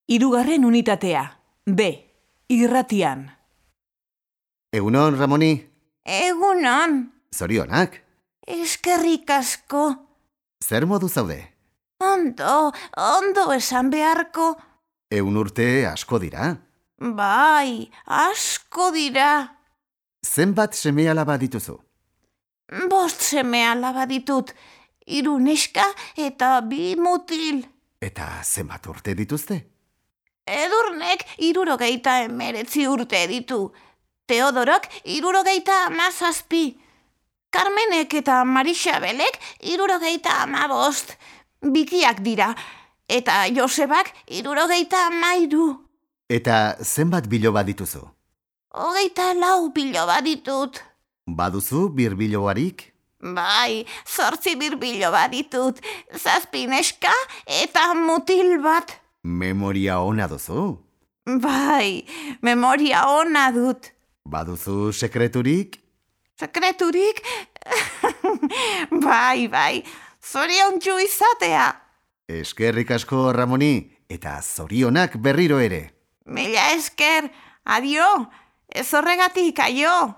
Hirugarren unitatea. B. Irratian. Egunon, Ramoni. Egunon. Zorionak. Eskerrik asko. Zer modu zaude? Ondo esan beharko. 100 urte asko dira. Bai, asko dira. Zenbat seme-alaba dituzu? 5 seme-alaba ditut. 3 neska eta 2 mutil. Eta zenbat urte dituzte? Edurnek 79 urte ditu. Teodorok 77. Carmenek eta Marixabelek 75. Bikiak dira. Eta Josebak 73. Eta zenbat biloba dituzu? 24 biloba ditut. Baduzu birbilobarik? Bai, 8 birbiloba ditut. 7 neska eta mutil bat. Memoria ona duzu? Bai, memoria ona dut. Baduzu sekreturik? Sekreturik? Bai, zoriontsu izatea. Eskerrik asko, Ramoni, eta zorionak berriro ere. Mila esker, adio, ez horregatik, aio.